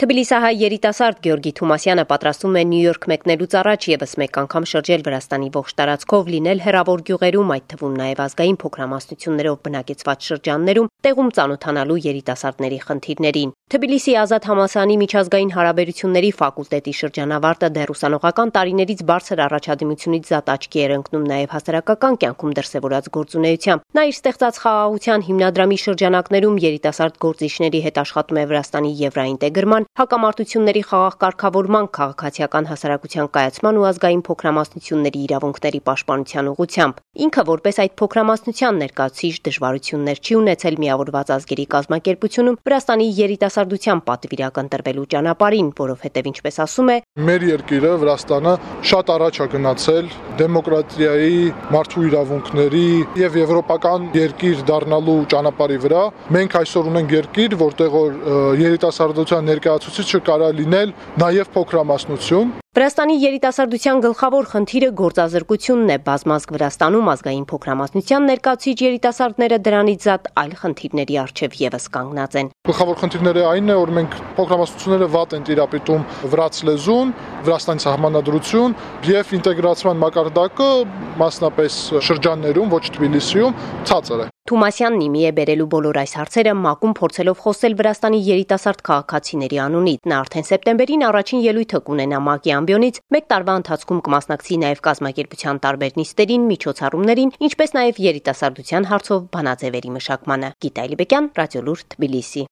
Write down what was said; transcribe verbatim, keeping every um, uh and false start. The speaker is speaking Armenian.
Թբիլիսահայ երիտասարդ Գյորգի Թումասյանը պատրաստում է Նյու Յորք մեկնելուց առաջ ևս մեկ անգամ շրջել Վրաստանի ողջ տարածքով, լինել հեռավոր գյուղերում, այդ թվում նաև ազգային փոքրամասնություններով բնակեցված շրջաններում, տեղում ծանոթանալու երիտասարդների խնդիրներին։ Թբիլիսի Ազատ համալսարանի միջազգային հարաբերությունների ֆակուլտետի շրջանավարտը դեռ ուսանողական տարիներից բարձր առաջադիմությունից զատ աչքի էր ընկնում նաև հասարակական կյանքում դրսևորած գործունեությամբ։ Նա իր ստեղծած խաղաղության հիմնադրամի շրջանակներում երիտասարդ գործիչների հետ աշխատում է Վրաստանի եվրաինտեգրման, հակամարտությունների խաղաղ կարգավորման, քաղաքացիական հասարակության կայացման ու ազգային փոքրամասնությունների իրավունքների պաշտպանության ուղղությամբ։ Ինքը որպես այդ փոքրամասնության ներկայացուցիչ դժվարություններ չի ունեցել միավորված ազգերի կազմակերպությունում Վրաստանի երիտասարդության պատվիրակ ընտրվելու ճանապարհին, որովհետև ինչպես ասում է, մեր երկիրը Վրաստանը շատ առաջ է գնացել դեմոկրատիայի, մարդու իրավունքների եւ եվրոպական երկիր դառնալու ճանապարհի վրա։ Մենք այսօր ունենք երկիր, որտեղ որ երիտասարդության ներկայացուցիչը կարա լինել նաև փոքրամասնություն։ Վրաստանի երիտասարդության գլխավոր խնդիրը գործազրկությունն է։ Բազմազգ Վրաստանում ազգային փոքրամասնության ներկայացուցիչ երիտասարդները դրանից զատ այլ խնդիրների առջև ևս կանգնած են։ Գլխավոր խնդիրները այն է, որ մենք փոքրամասնությունները վատ են տիրապետում վրաց լեզուն, Վրաստանի սահմանադրություն եւ ինտեգրացիան մակարդակը, մասնապես շրջաններում, ոչ Թբիլիսիում, ցածր է։ Թումասյանն իմի է բերելու բոլոր այս հարցերը ՄԱԿ-ում փորձելով խոսել Վրաստանի երիտասարդ քաղաքացիների անունից։ Նա արդեն սեպտեմբերին առաջին ելույթը կունենա ՄԱԿ-ի ամբիոնից, մեկ տարվա ընթացքում կմասնակցի նաև կազմակերպության տարբեր նիստերին, միջոցառումներին, ինչպես նաև երիտասարդության հարցով բանաձևերի մշակմանը։ Գիտա Այլիբեկյան, Ռադիոլուր, Թբիլիսի։